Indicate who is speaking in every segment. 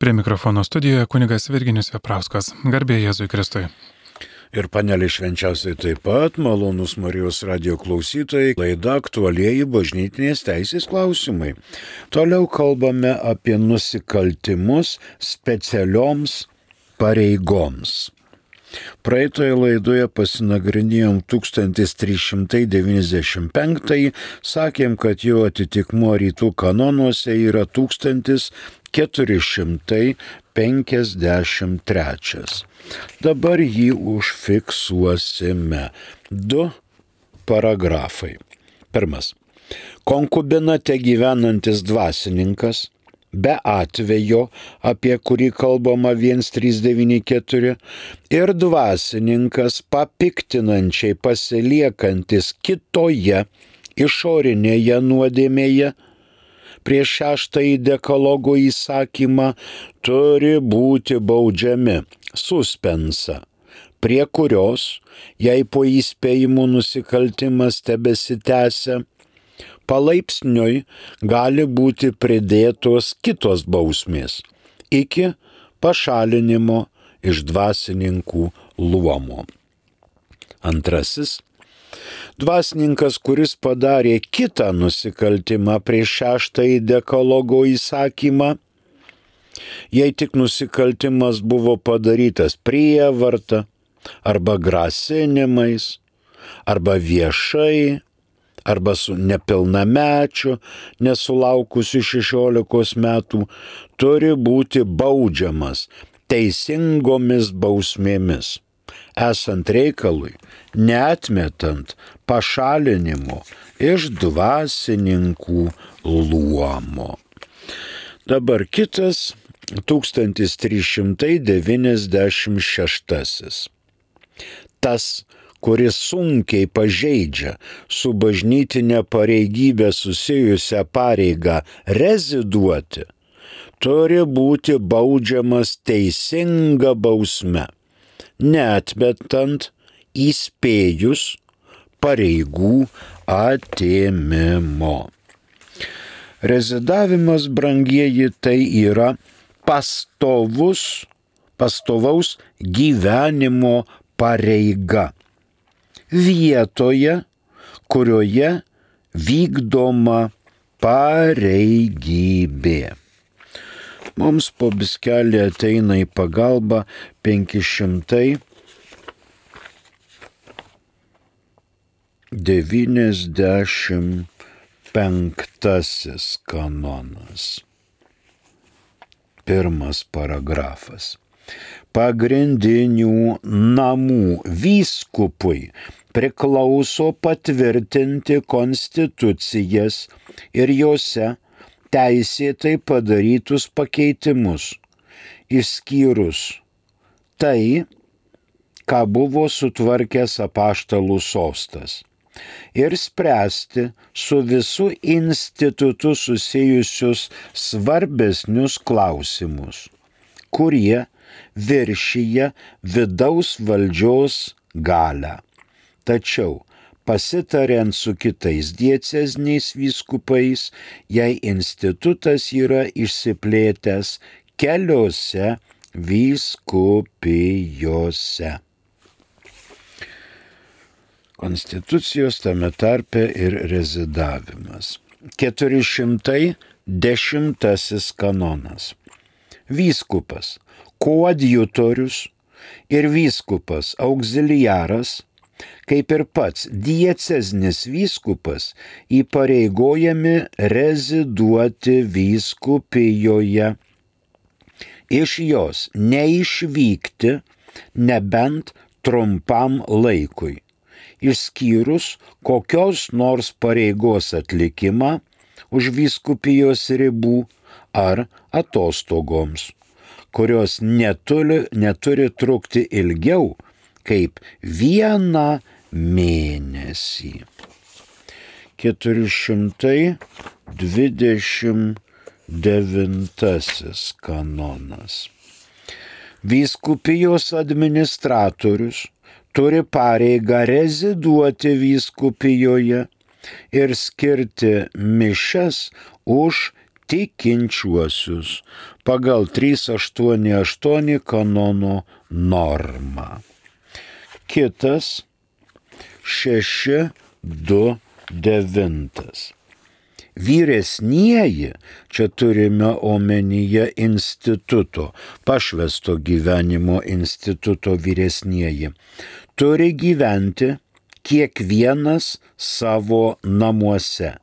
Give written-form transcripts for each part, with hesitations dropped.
Speaker 1: Prie mikrofono studijoje kunigas Virginijus Veprauskas. Garbė Jėzui Kristui.
Speaker 2: Ir panelė švenčiausiai taip pat, malonus Marijos radio klausytojai, laida aktualieji bažnytinės teisės klausimai. Toliau kalbame apie nusikaltimus specialioms pareigoms. Praeitoje laidoje pasinagrinėjom 1395, sakėm, kad jo atitikmuo rytų kanonuose yra 1453. Dabar jį užfiksuosime. 2 paragrafai. Pirmas. Konkubinate gyvenantis dvasininkas, be atvejo, apie kurį kalbama 1394, ir dvasininkas papiktinančiai pasiliekantis kitoje išorinėje nuodėmėje, prieš 6 dekalogo įsakymą turi būti baudžiami suspensa, prie kurios, jei po įspėjimų nusikaltimas tebesitęsia, palaipsniui gali būti pridėtos kitos bausmės iki pašalinimo iš dvasininkų luomo. Antrasis. Dvasininkas, kuris padarė kitą nusikaltimą prieš 6 dekalogo įsakymą, jei tik nusikaltimas buvo padarytas prievarta arba grasinimais, arba viešai, arba su nepilnamečiu, nesulaukusiu 16 metų, turi būti baudžiamas teisingomis bausmėmis, esant reikalui, neatmetant pašalinimo iš dvasininkų luomo. Dabar kitas 1396. Tas, kuris sunkiai pažeidžia su bažnytinė pareigybė susijusią pareigą reziduoti, turi būti baudžiamas teisinga bausme, neatmetant įspėjus pareigų atėmimo. Rezidavimas, brangieji, tai yra pastovaus gyvenimo pareiga vietoje, kurioje vykdoma pareigybė. Mums po biskelį ateina į pagalbą 595 kanonas. 1 paragrafas. Pagrindinių namų vyskupui priklauso patvirtinti konstitucijas ir jose teisėtai padarytus pakeitimus, išskyrus tai, ką buvo sutvarkęs apaštalų sostas, ir spręsti su visu institutu susijusius svarbesnius klausimus, kurie viršyje vidaus valdžios galią. Tačiau, pasitariant su kitais dieceziniais vyskupais, jei institutas yra išsiplėtęs keliose vyskupijose. Konstitucijos tame tarpe ir rezidavimas. 410 kanonas. Vyskupas, koadjutorius ir vyskupas auxiliaras, kaip ir pats diecezinis vyskupas, įpareigojami reziduoti vyskupijoje, iš jos neišvykti nebent trumpam laikui, išskyrus kokios nors pareigos atlikimą už vyskupijos ribų ar atostogoms, kurios neturi trukti ilgiau kaip 1 mėnesį. 429 kanonas. Vyskupijos administratorius turi pareigą reziduoti vyskupijoje ir skirti mišias už tikinčiuosius pagal 388 kanono normą. Kitas 629. Vyresnieji, čia turime omenyje instituto, pašvęsto gyvenimo instituto vyresnieji, turi gyventi kiekvienas savo namuose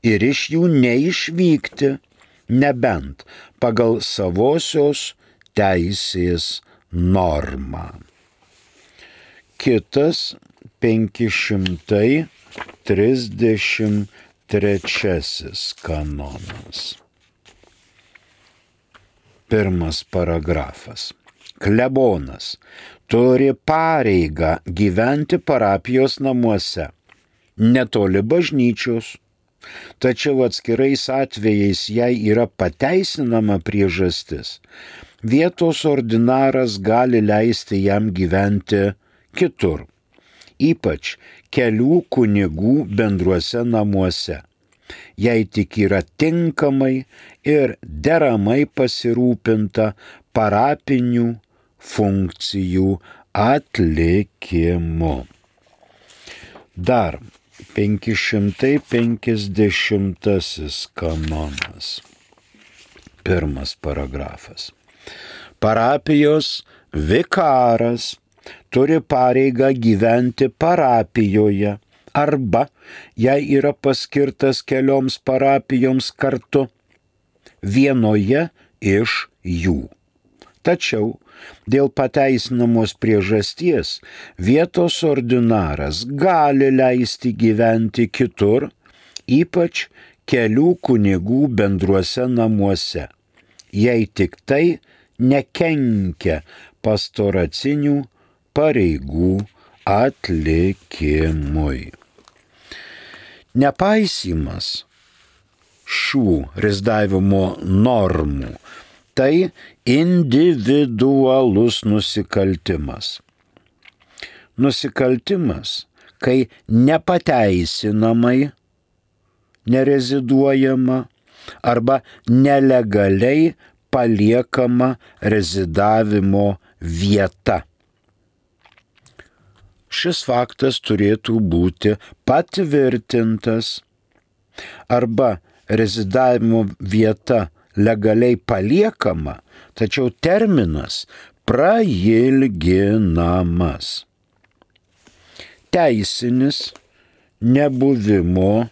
Speaker 2: ir iš jų neišvykti, nebent pagal savosios teisės normą. Kitas 533 kanonas. Pirmas paragrafas. Klebonas turi pareigą gyventi parapijos namuose, netoli bažnyčios, tačiau atskirais atvejais jei yra pateisinama priežastis, vietos ordinaras gali leisti jam gyventi kitur, ypač kelių kunigų bendruose namuose, jei tik yra tinkamai ir deramai pasirūpinta parapinių funkcijų atlikimu. Dar 550 kanonas. Pirmas paragrafas. Parapijos vikaras turi pareigą gyventi parapijoje arba, jei yra paskirtas kelioms parapijoms kartu, vienoje iš jų. Tačiau dėl pateisinamos priežasties vietos ordinaras gali leisti gyventi kitur, ypač kelių kunigų bendruose namuose, jei tik tai nekenkia pastoracinių pareigų atlikimui. Nepaisymas šių rezidavimo normų tai individualus nusikaltimas. Nusikaltimas, kai nepateisinamai nereziduojama arba nelegaliai paliekama rezidavimo vieta. Šis faktas turėtų būti patvirtintas arba rezidavimo vieta legaliai paliekama, tačiau terminas prailginamas. Teisinis nebuvimo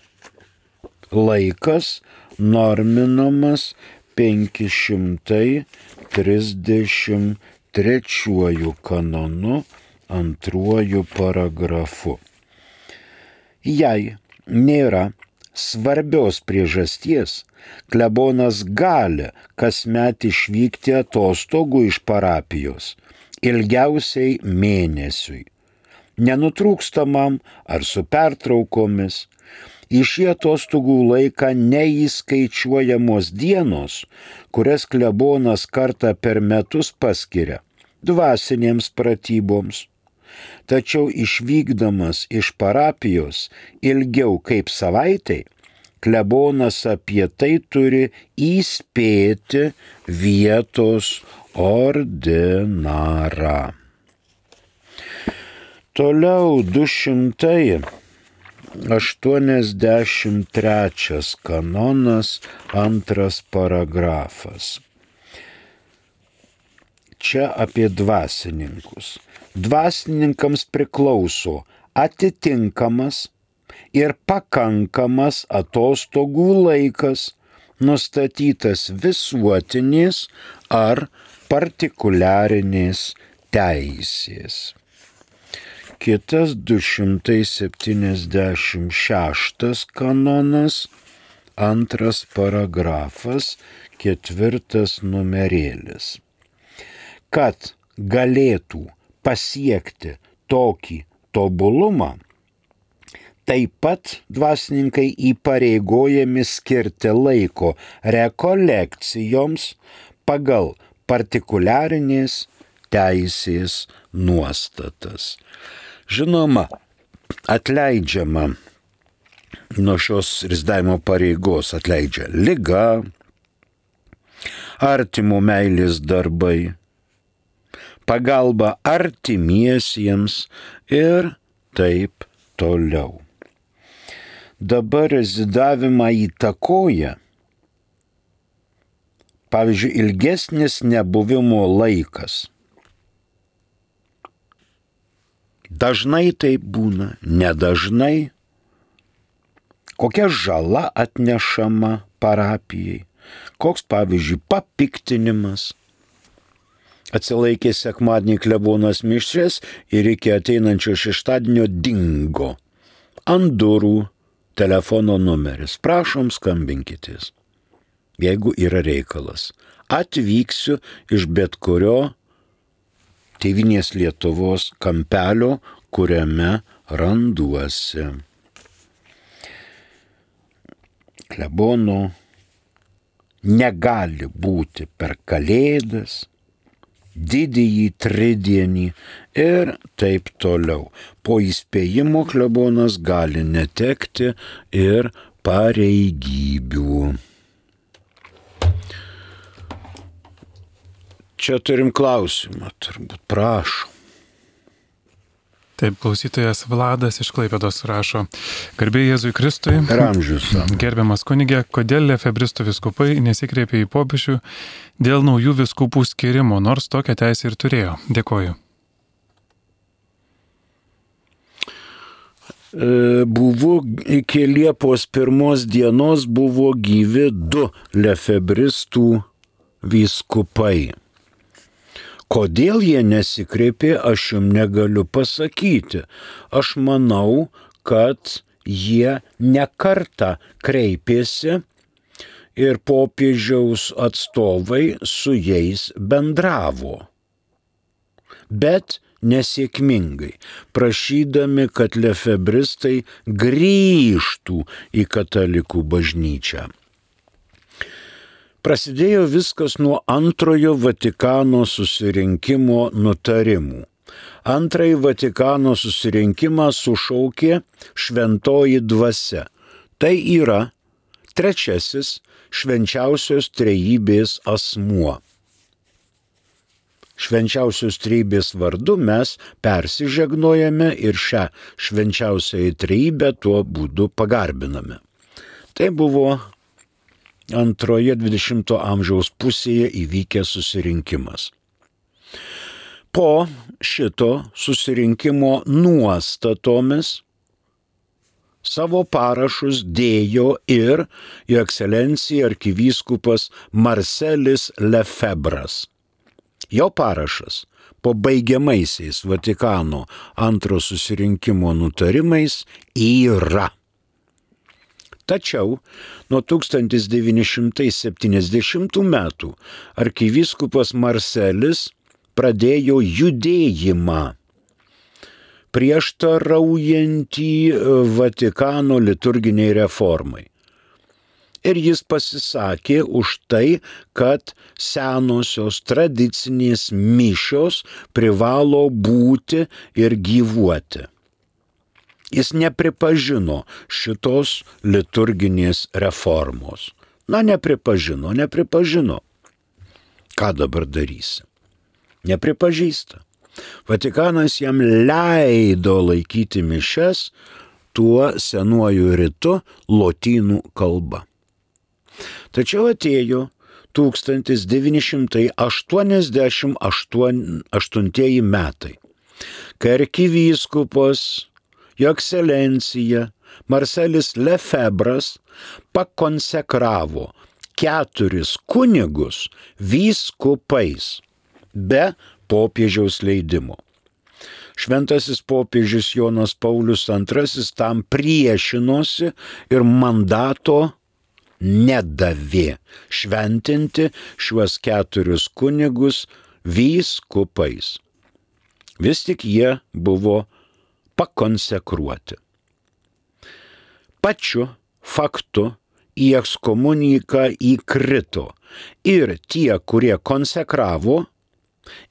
Speaker 2: laikas norminamas 533 kanonu antruoju paragrafu. Jei nėra svarbios priežasties, klebonas gali kasmet išvykti atostogų iš parapijos ilgiausiai mėnesiui, nenutrūkstamam ar su pertraukomis. Į šį atostogų laiką neįskaičiuojamos dienos, kurias klebonas kartą per metus paskiria dvasinėms pratyboms. Tačiau išvykdamas iš parapijos ilgiau kaip savaitai, klebonas apie tai turi įspėti vietos ordinarą. Toliau 283 kanonas, antras paragrafas. Čia apie dvasininkus. Dvasininkams priklauso atitinkamas ir pakankamas atostogų laikas, nustatytas visuotinės ar partikuliarinės teisės. Kitas 276 kanonas, antras paragrafas, ketvirtas numerėlis. Kad galėtų pasiekti tokį tobulumą, taip pat dvasininkai įpareigojami skirti laiko rekolekcijoms pagal partikuliarinės teisės nuostatas. Žinoma, atleidžiama nuo šios rezidavimo pareigos atleidžia liga, artimo meilės darbai, pagalba artimiesiems ir taip toliau. Dabar rezidavimą įtakoja, pavyzdžiui, ilgesnis nebuvimo laikas. Dažnai taip būna, nedažnai. Kokia žala atnešama parapijai, koks, pavyzdžiui, papiktinimas. Atsilaikė sekmadienį klebonas mišias ir iki ateinančio šeštadienio dingo. Ant durų telefono numeris. Prašom, skambinkitės, jeigu yra reikalas. Atvyksiu iš bet kurio Tėvynės Lietuvos kampelio, kuriame randuosi. Klebono negali būti per Kalėdas, didįjį tridienį ir taip toliau. Po įspėjimo klebonas gali netekti ir pareigybių. Čia turim klausimą, turbūt, prašom.
Speaker 1: Taip, klausytojas Vladas iš Klaipėdos rašo: Garbė Jėzui Kristui.
Speaker 2: Per amžius.
Speaker 1: Gerbiamas kunige, kodėl lefebristų vyskupai nesikreipė į popiežių dėl naujų vyskupų skirimo, nors tokią teisę ir turėjo? Dėkoju.
Speaker 2: Buvo iki Liepos 1 dienos buvo gyvi 2 lefebristų vyskupai. Kodėl jie nesikreipė, aš jums negaliu pasakyti. Aš manau, kad jie nekartą kreipėsi ir popiežiaus atstovai su jais bendravo. Bet nesėkmingai, prašydami, kad lefebristai grįžtų į katalikų bažnyčią. Prasidėjo viskas nuo antrojo Vatikano susirinkimo nutarimų. Antrąjį Vatikano susirinkimą sušaukė Šventoji Dvasia. Tai yra 3. Švenčiausios Trejybės asmuo. Švenčiausios Trejybės vardu mes persižegnojame ir šią švenčiausiąją Trejybę tuo būdu pagarbiname. Tai buvo antroje 20 amžiaus pusėje įvykęs susirinkimas. Po šito susirinkimo nuostatomis savo parašus dėjo ir Jo ekscelencija arkivyskupas Marcelis Lefebras. Jo parašas po baigiamaisiais Vatikano antro susirinkimo nutarimais yra. Tačiau nuo 1970 metų arkivyskupas Marcelis pradėjo judėjimą prieštaraujantį Vatikano liturginiai reformai. Ir jis pasisakė už tai, kad senosios tradicinės mišios privalo būti ir gyvuoti. Jis nepripažino šitos liturginės reformos. Nepripažino. Ką dabar darysi? Nepripažįsta. Vatikanas jam leido laikyti mišias tuo senuoju ritu lotynų kalba. Tačiau atėjo 1988 metai, kai arkivyskupas Jo ekscelencija Marcelis Lefebras pakonsekravo 4 kunigus vyskupais be popiežiaus leidimo. Šventasis popiežius Jonas Paulius II tam priešinosi ir mandato nedavė šventinti šiuos 4 kunigus vyskupais. Vis tik jie buvo pakonsekruoti. Pačiu faktu į ekskomuniką įkrito ir tie, kurie konsekravo,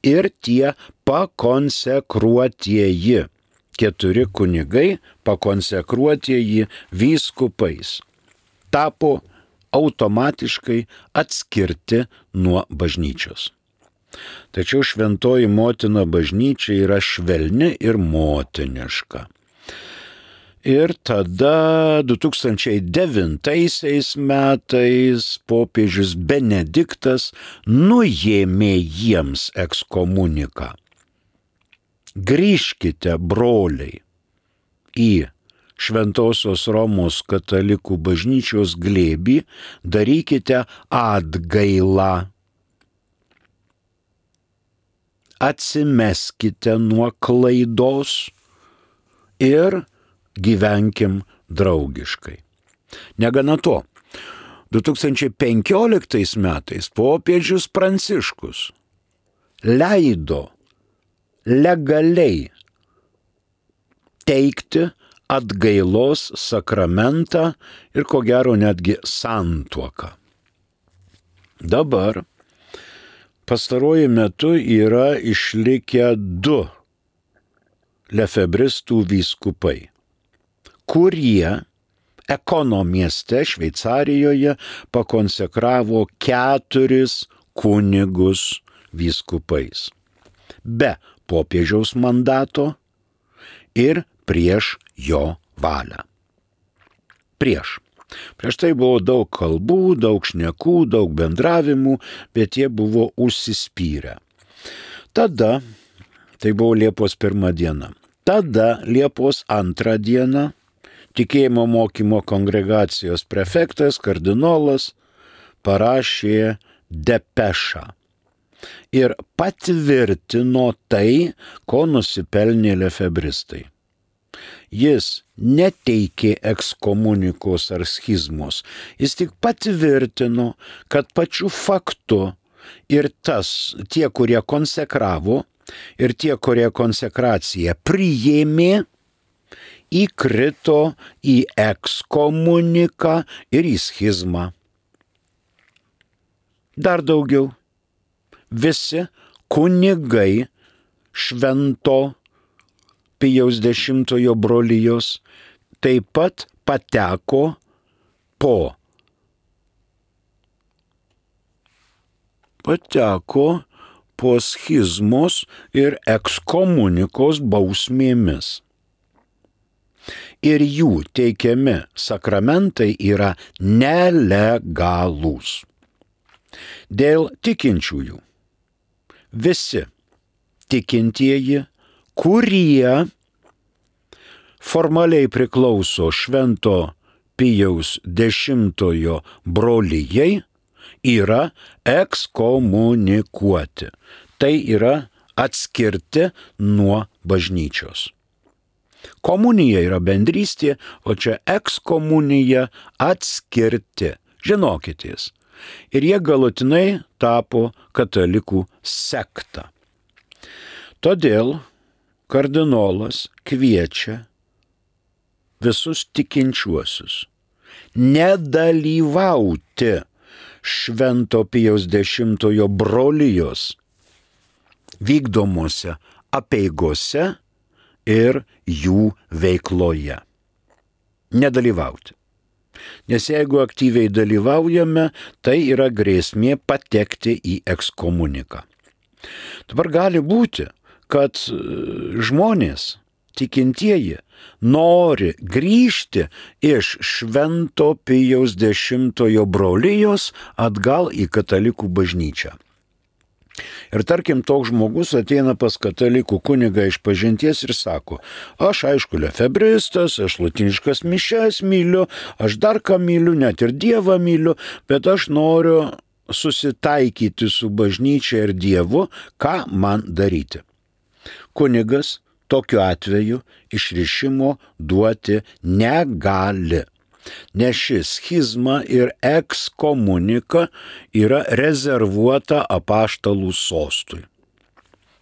Speaker 2: ir tie pakonsekruotieji. 4 kunigai pakonsekruotieji vyskupais tapo automatiškai atskirti nuo bažnyčios. Tačiau šventoji motina bažnyčia yra švelni ir motiniška. Ir tada 2009 metais popiežius Benediktas nuėmė jiems ekskomuniką. Grįžkite, broliai, į Šventosios Romos katalikų bažnyčios glėbį, darykite atgailą. Atsimeskite nuo klaidos ir gyvenkim draugiškai. Negana to, 2015 metais popiežius Pranciškus leido legaliai teikti atgailos sakramentą ir ko gero netgi santuoką. Dabar pastaruoju metu yra išlikę 2 lefebristų vyskupai, kurie Ekono mieste Šveicarijoje pakonsekravo 4 kunigus vyskupais. Be popiežiaus mandato ir prieš jo valią. Prieš tai buvo daug kalbų, daug šnekų, daug bendravimų, bet jie buvo užsispyrę. Tada, tai buvo Liepos 1 diena, tada Liepos 2 diena tikėjimo mokymo kongregacijos prefektas, kardinolas parašė depešą ir patvirtino tai, ko nusipelnė lefebristai. Jis neteikė ekskomunikos ar schizmos, jis tik patvirtino, kad pačiu faktu ir tie, kurie konsekravo, ir tie, kurie konsekraciją priėmė, įkrito į ekskomuniką ir į schizmą. Dar daugiau, visi kunigai Švento Pijaus X brolijos taip pat pateko po schizmos ir ekskomunikos bausmėmis. Ir jų teikiami sakramentai yra nelegalūs. Dėl tikinčiųjų visi tikintieji, kurie formaliai priklauso Švento Pijaus X brolijai, yra ekskomunikuoti. Tai yra atskirti nuo bažnyčios. Komunija yra bendrystė, o čia ekskomunija atskirti. Žinokitės. Ir jie galutinai tapo katalikų sekta. Todėl kardinolas kviečia visus tikinčiuosius nedalyvauti Švento Pijaus X brolijos vykdomose apeigose ir jų veikloje. Nedalyvauti. Nes jeigu aktyviai dalyvaujame, tai yra grėsmė patekti į ekskomuniką. Dabar gali būti, kad žmonės, tikintieji, nori grįžti iš Švento Pijaus X brolijos atgal į katalikų bažnyčią. Ir tarkim, toks žmogus ateina pas katalikų kunigą išpažinties ir sako, aš aišku lefebristas, aš latiniškas mišias myliu, aš dar ką myliu, net ir Dievą myliu, bet aš noriu susitaikyti su bažnyčia ir Dievu, ką man daryti. Kunigas tokiu atveju išrišimo duoti negali, nes ši schizma ir ekskomunika yra rezervuota apaštalų sostui.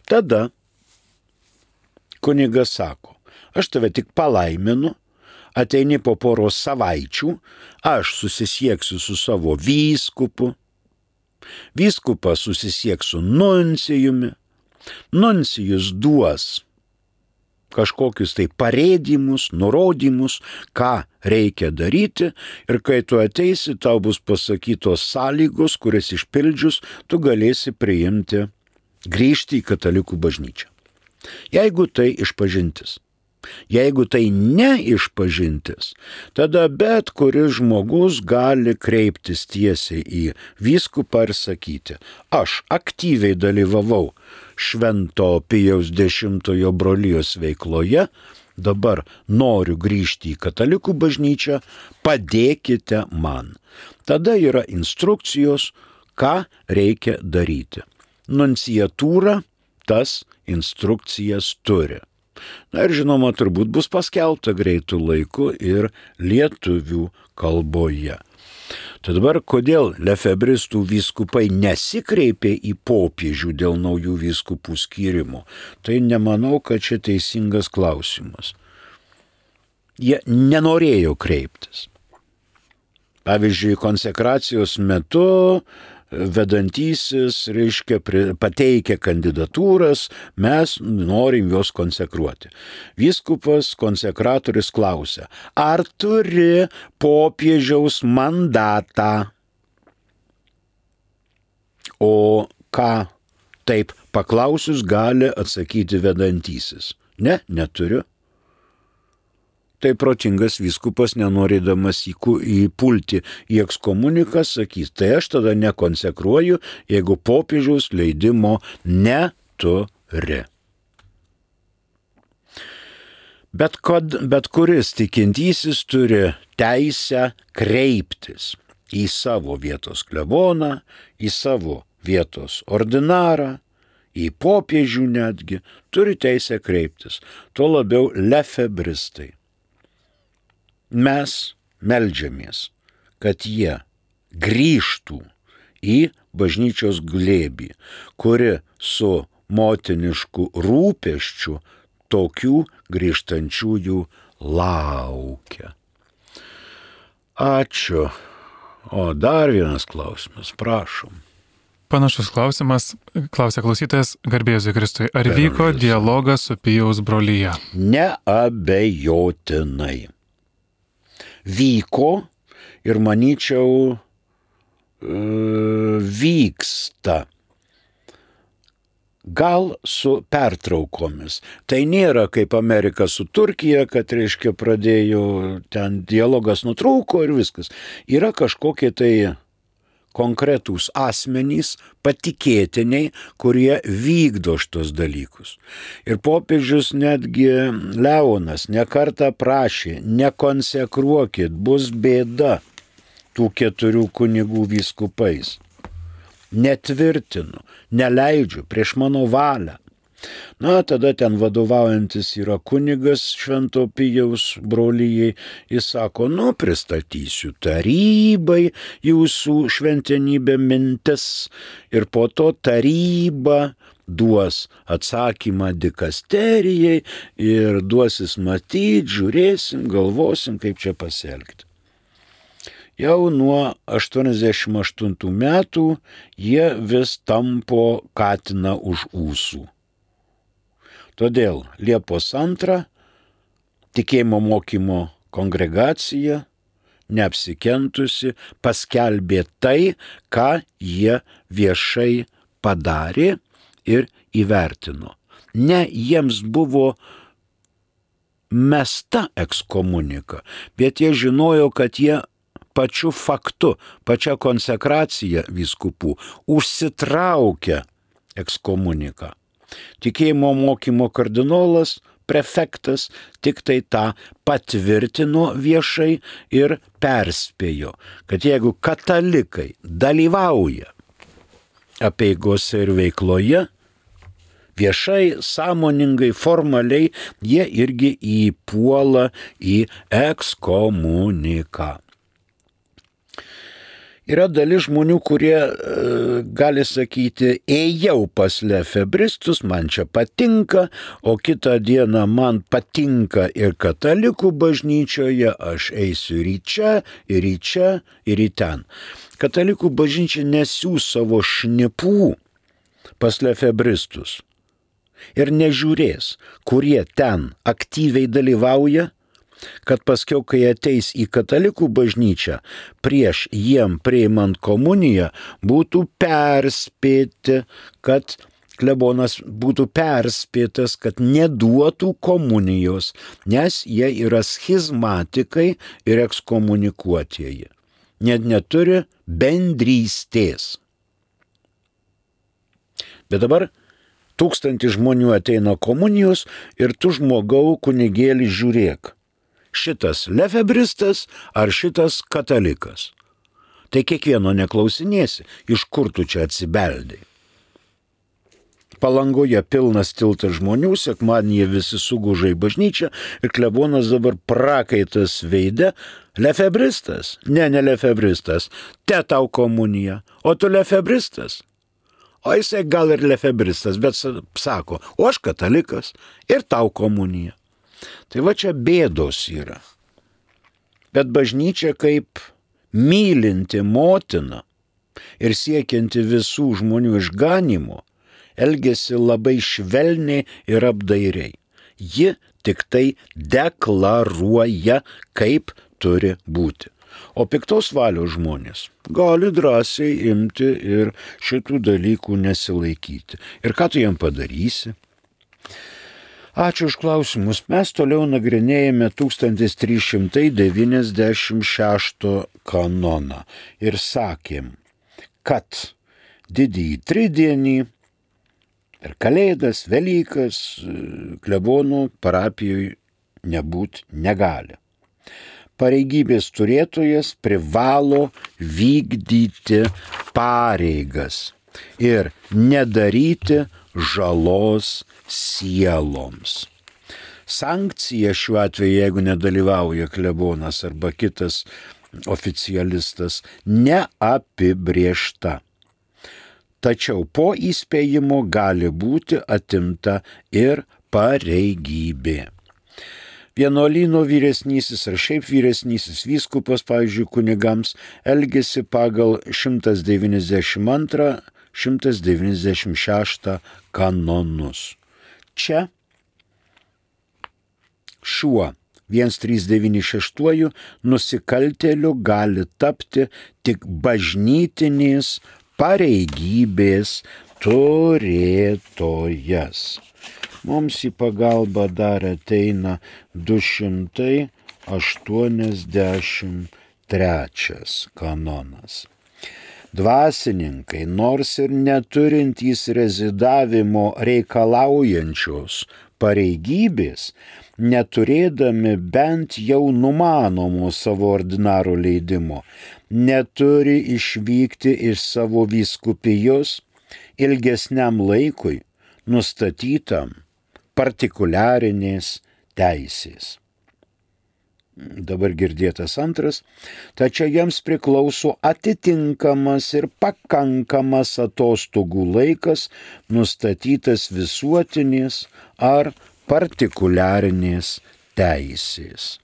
Speaker 2: Tada kunigas sako, aš tave tik palaiminu, ateini po poros savaičių, aš susisieksiu su savo vyskupu, vyskupas susisieks su nuncijumi, nuncijus duos kažkokius tai parėdimus, nurodymus, ką reikia daryti, ir kai tu ateisi, tau bus pasakytos sąlygos, kurias išpildžius, tu galėsi grįžti į katalikų bažnyčią. Jeigu tai išpažintis. Jeigu tai ne išpažintis, tada bet kuris žmogus gali kreiptis tiesiai į vyskupą ir sakyti: aš aktyviai dalyvavau Švento Pijaus X brolijos veikloje, dabar noriu grįžti į katalikų bažnyčią, padėkite man. Tada yra instrukcijos, ką reikia daryti. Nunciatūra tas instrukcijas turi. Na ir žinoma, turbūt bus paskelbta greitų laikų ir lietuvių kalboje. Tad dabar, kodėl lefebristų vyskupai nesikreipė į popiežių dėl naujų vyskupų skyrimo, tai nemanau, kad čia teisingas klausimas. Jie nenorėjo kreiptis. Pavyzdžiui, konsekracijos metu vedantysis, pateikia kandidatūras, mes norim juos konsekruoti. Vyskupas, konsekratorius klausia: ar turi popiežiaus mandatą? O ką taip paklausius gali atsakyti vedantysis? Ne, neturiu. Tai protingas vyskupas, nenorėdamas įpulti į ekskomuniką, sakys: tai aš tada nekonsekruoju, jeigu popiežiaus leidimo neturi. Bet kuris tikintysis turi teisę kreiptis į savo vietos kleboną, į savo vietos ordinarą, į popiežių netgi, turi teisę kreiptis, tuo labiau lefebristai. Mes meldžiamės, kad jie grįžtų į bažnyčios glėbį, kuri su motinišku rūpesčiu tokių grįžtančiųjų laukia. Ačiū. O dar vienas klausimas, prašom.
Speaker 1: Panašus klausimas, klausia klausytojas: garbė Jėzui Kristui, ar vyko dialogas su Pijaus brolija?
Speaker 2: Neabejotinai. Vyko ir manyčiau vyksta. Gal su pertraukomis. Tai nėra kaip Amerika su Turkija, kad pradėjo ten dialogas nutrūko ir viskas. Yra kažkokie tai konkretūs asmenys, patikėtiniai, kurie vykdo šitos dalykus. Ir popiežius netgi Leonas nekartą prašė: nekonsekruokit, bus bėda tų 4 kunigų vyskupais. Netvirtinu, neleidžiu prieš mano valią. Na, tada ten vadovaujantis yra kunigas Švento Pijaus brolijai. Jis sako: pristatysiu tarybai jūsų šventenybė mintis, ir po to taryba duos atsakymą dikasterijai ir duosis matyti, žiūrėsim, galvosim, kaip čia pasielgti. Jau nuo 88 metų jie vis tampo katiną už ūsų. Todėl Liepos 2 tikėjimo mokymo kongregacija, neapsikentusi, paskelbė tai, ką jie viešai padarė ir įvertino. Ne jiems buvo mesta ekskomunika, bet jie žinojo, kad jie pačiu faktu, pačia konsekracija vyskupų užsitraukia ekskomuniką. Tikėjimo mokymo kardinolas, prefektas tik tai tą patvirtino viešai ir perspėjo, kad jeigu katalikai dalyvauja apeigose ir veikloje, viešai, sąmoningai, formaliai, jie irgi įpuola į ekskomuniką. Yra dalis žmonių, kurie gali sakyti: ėjau pas lefebristus, man čia patinka, o kitą dieną man patinka ir katalikų bažnyčioje, aš eisiu ir į čia, ir į čia, ir į ten. Katalikų bažnyčia nesiūs savo šnipų pas lefebristus. ir nežiūrės, kurie ten aktyviai dalyvauja, kad paskiau, kai ateis į katalikų bažnyčią, prieš jiem priimant komuniją, būtų perspėti, kad klebonas būtų perspėtas, kad neduotų komunijos, nes jie yra schizmatikai ir ekskomunikuotieji. Net neturi bendrystės. Bet dabar 1000 žmonių ateina komunijos ir tu žmogau kunigėlį žiūrėk. Šitas lefebristas ar šitas katalikas. Tai kiekvieno neklausinėsi, iš kur tu čia atsibeldai. Palangoje pilnas tiltas žmonių, sekmadienį visi suguža į bažnyčią ir klebonas dabar prakaitas veide. Lefebristas? Ne lefebristas. Te tau komunija. O tu lefebristas? O jisai gal ir lefebristas, bet sako, o aš katalikas ir tau komunija. Tai va čia bėdos yra. Bet bažnyčia kaip mylinti motina ir siekianti visų žmonių išganimo, elgėsi labai švelniai ir apdairiai. Ji tik tai deklaruoja, kaip turi būti. O piktos valios žmonės gali drąsiai imti ir šitų dalykų nesilaikyti. Ir ką tu jam padarysi? Ačiū už klausimus. Mes toliau nagrinėjame 1396 kanoną ir sakėm, kad didįjį tridienį per Kalėdas, Velykas klebonų parapijoje nebūt negali. Pareigybės turėtojas privalo vykdyti pareigas ir nedaryti žalos sieloms. Sankcija šiuo atveju, jeigu nedalyvauja klebonas arba kitas oficialistas, neapibrėžta. Tačiau po įspėjimo gali būti atimta ir pareigybė. Vienuolyno vyresnysis ar šiaip vyresnysis vyskupas, pavyzdžiui, kunigams, elgėsi pagal 192-196 kanonus. Čia šiuo 1396 nusikaltėliu gali tapti tik bažnytinės pareigybės turėtojas. Mums į pagalbą dar ateina 283 kanonas. Dvasininkai, nors ir neturintys rezidavimo reikalaujančios pareigybės, neturėdami bent jau numanomo savo ordinaro leidimo, neturi išvykti iš savo vyskupijos ilgesniam laikui nustatytam partikuliarinės teisės. Dabar girdėtas antras, tačiau jiems priklauso atitinkamas ir pakankamas atostogų laikas nustatytas visuotinės ar partikuliarinės teisės.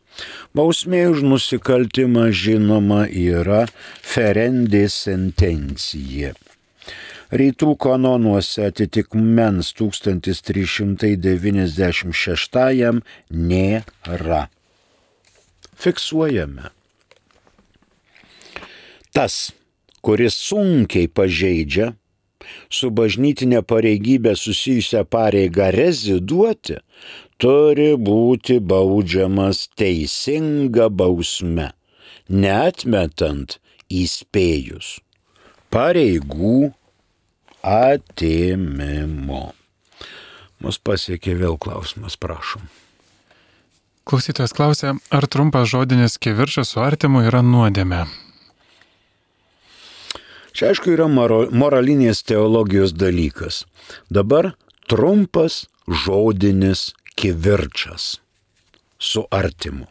Speaker 2: Bausmė už nusikaltimą žinoma yra ferendė sentencija. Rytų kanonuose atitikmens 1396 nėra. Fiksuojame. Tas, kuris sunkiai pažeidžia su bažnytinė pareigybė susijusią pareigą reziduoti, turi būti baudžiamas teisinga bausme, neatmetant įspėjus pareigų atėmimo. Mus pasiekė vėl klausimas, prašom.
Speaker 1: Klausytojas klausia, ar trumpas žodinis kivirčas su artimu yra nuodėmė?
Speaker 2: Čia aišku yra moralinės teologijos dalykas. Dabar trumpas žodinis kivirčas su artimu.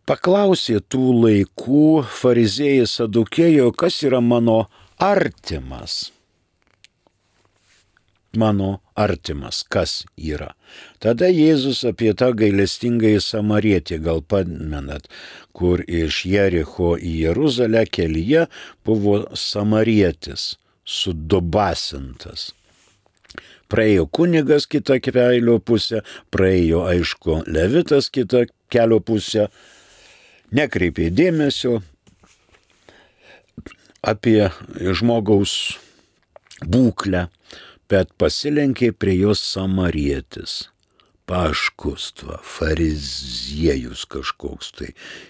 Speaker 2: Paklausė tų laikų fariziejai sadukėjai, kas yra mano artimas. Mano artimas, kas yra. Tada Jėzus apie tą gailestingąjį samarietį, gal pamenat, kur iš Jericho į Jeruzalę kelyje buvo samarietis, sudubasintas. praėjo kunigas kitą kelio pusę, praėjo, aišku, levitas kitą kelio pusę, nekreipė dėmesio apie žmogaus būklę, bet pasilenkė prie jos samarietis. Paškustva, fariziejus kažkoks tai,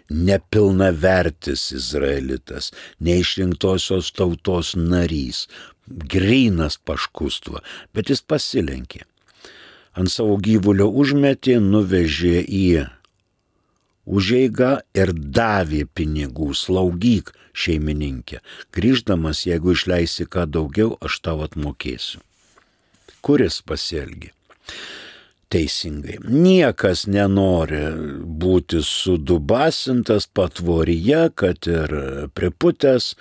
Speaker 2: nepilnavertis izraelitas, neišrinktosios tautos narys, grynas paškustva, bet jis pasilenkė. Ant savo gyvulio užmetė, nuvežė į užeigą ir davė pinigų, slaugyk šeimininkė. Grįždamas, jeigu išleisi ką daugiau, aš tau atmokėsiu. Kuris pasielgė teisingai? Niekas nenori būti sudubasintas patvoryje, kad ir priputęs,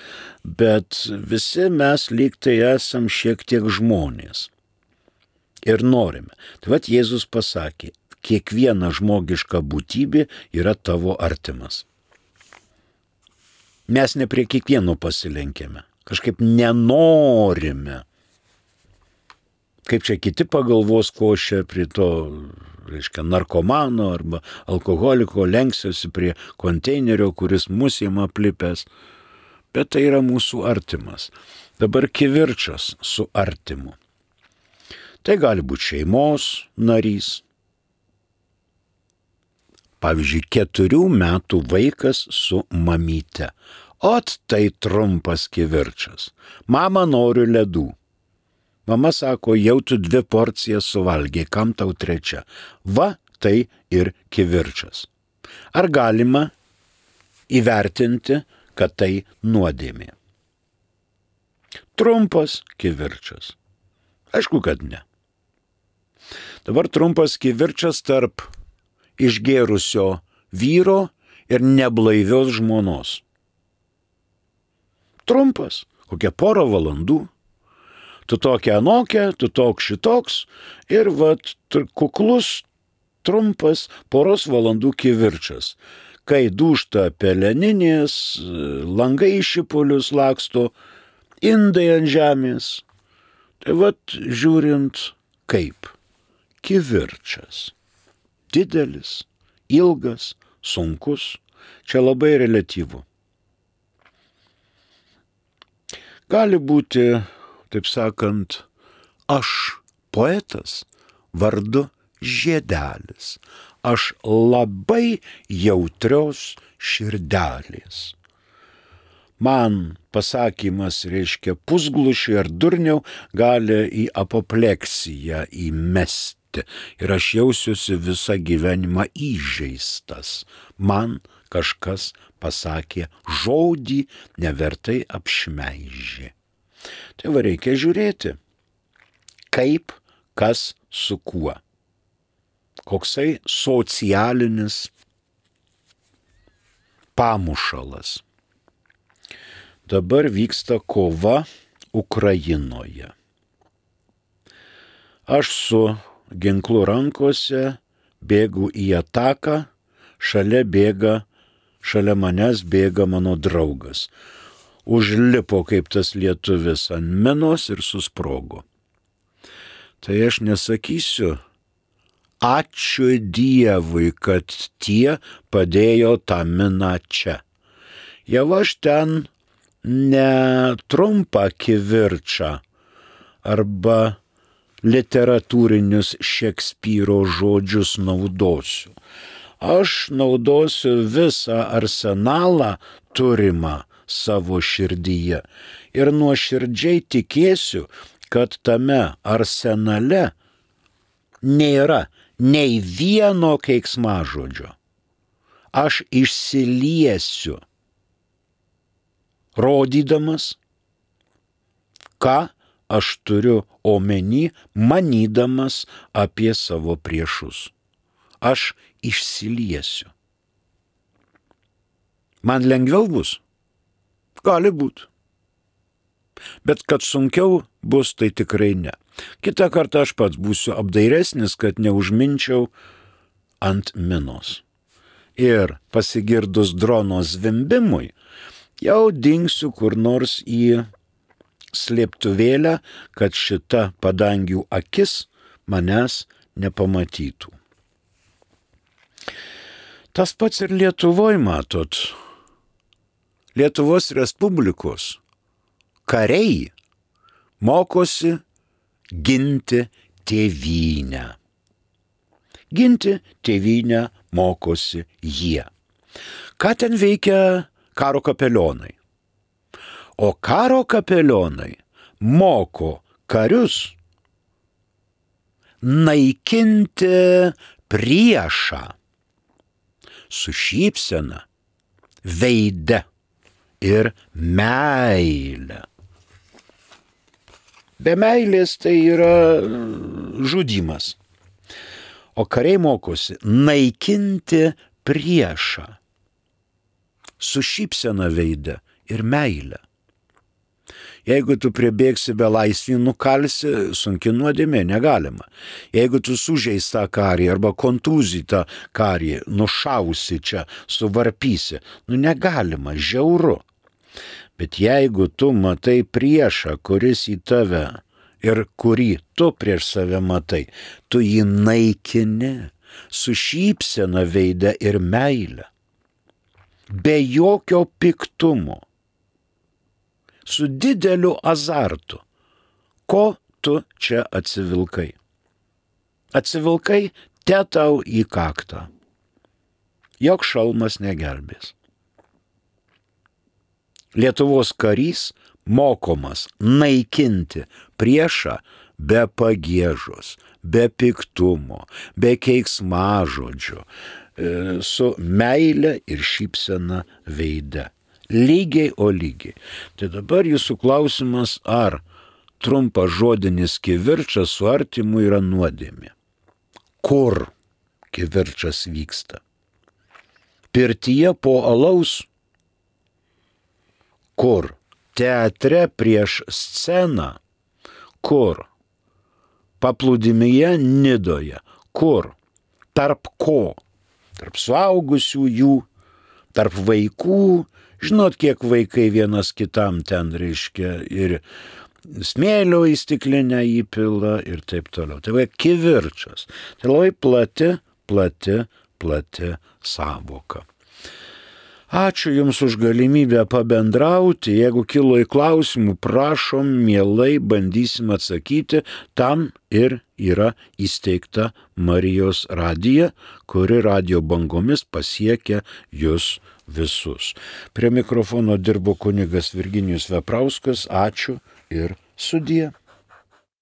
Speaker 2: bet visi mes lyg tai esam šiek tiek žmonės. Ir norime. Tai vat Jėzus pasakė, kiekviena žmogiška būtybė yra tavo artimas. Mes ne prie kiekvieno pasilenkėme. Kažkaip nenorime. Kaip čia kiti pagalvos, ko aš čia prie to, narkomano arba alkoholiko lenksiuosi prie konteinerio, kuris mūsų jam aplipęs. Bet tai yra mūsų artimas. Dabar kivirčas su artimu. Tai gali būti šeimos narys. Pavyzdžiui, 4 metų vaikas su mamyte. Ot tai trumpas kivirčas. Mama, noriu ledų. Mama sako, jau tu 2 porcijas suvalgė, kam tau 3? Va, tai ir kivirčas. Ar galima įvertinti, kad tai nuodėmė? Trumpas kivirčas. Aišku, kad ne. Dabar trumpas kivirčas tarp išgėrusio vyro ir neblaivios žmonos. Trumpas, kokia 1 valandų. Tu tokia anokia, tu toks šitoks ir vat kuklus, trumpas 1 valandų kivirčas. Kai dūžta peleninės, langai į šipulius laksto, indai ant žemės. Tai vat žiūrint kaip kivirčas. Didelis, ilgas, sunkus, čia labai reliatyvu. Gali būti, taip sakant, aš poetas vardu Žiedelis, aš labai jautrios širdelės. Man pasakymas reiškia pusglušį ar durniau gali į apopleksiją įmesti ir aš jausiuosi visą gyvenimą įžeistas. Man kažkas pasakė žodį, nevertai apšmeižė. Tai va reikia žiūrėti, kaip, kas su kuo. Koksai socialinis pamušalas. Dabar vyksta kova Ukrainoje. Aš su ginklu rankose bėgu į ataką, šalia manęs bėga mano draugas. Užlipo kaip tas lietuvis ant minos ir susprogo. Tai aš nesakysiu, ačiū Dievui, kad tie padėjo tą miną čia. Jau aš ten netrumpą kivirčą arba literatūrinius Šekspyro žodžius naudosiu. Aš naudosiu visą arsenalą turimą savo širdyje ir nuoširdžiai tikėsiu, kad tame arsenale nėra nei vieno keiksmažodžio. Aš išsiliesiu, rodydamas, ką aš turiu omeny, manydamas apie savo priešus. Aš išsiliesiu. Man lengviau bus? Gali būt. Bet kad sunkiau bus, tai tikrai ne. Kitą kartą aš pats būsiu apdairesnis, kad neužminčiau ant minos. Ir pasigirdus drono zvimbimui, jau dingsiu kur nors į slėptuvėlę, kad šita padangių akis manęs nepamatytų. Tas pats ir Lietuvoje, matot. Lietuvos Respublikos kariai mokosi ginti tėvynę. Ginti tėvynę mokosi jie. Ką ten veikia karo kapelionai? O karo kapelionai moko karius naikinti priešą su šypsena, veide ir meile. Be meilės tai yra žudymas. O kariai mokosi naikinti priešą su šypsena veide ir meile. Jeigu tu pribėgsi belaisvį, nukalsi, sunki nuodėmė, negalima. Jeigu tu sužeistą karį arba kontūzytą karį nušausi čia, suvarpysi, negalima, žiauru. Bet jeigu tu matai priešą, kuris į tave ir kurį tu prieš save matai, tu jį naikini su šypsena veide ir meile, be jokio piktumo, su dideliu azartu. Ko tu čia atsivilkai? Atsivilkai te tau į kaktą. Jok šalmas negelbės. Lietuvos karys mokomas naikinti priešą be pagiežos, be piktumo, be keiksmažodžio, su meile ir šypsena veide. Lygiai, o lygiai. Tai dabar jūsų klausimas, ar trumpas žodinis kivirčas su artimu yra nuodėmė? Kur kivirčas vyksta? Pirtyje po alaus? Kur? Teatre prieš sceną? Kur? Paplūdimyje Nidoje? Kur? Tarp ko? Tarp suaugusiųjų, tarp vaikų. Žinot, kiek vaikai vienas kitam ten reiškia ir smėlio į stiklinę įpila ir taip toliau. Tai va kivirčas. Tai labai plati sąvoka. Ačiū Jums už galimybę pabendrauti. Jeigu kilo į klausimų, prašom, mielai bandysim atsakyti. Tam ir yra įsteigta Marijos radija, kuri radijo bangomis pasiekia Jūs visus. Prie mikrofono dirbo kunigas Virginijus Veprauskas. Ačiū ir sudie.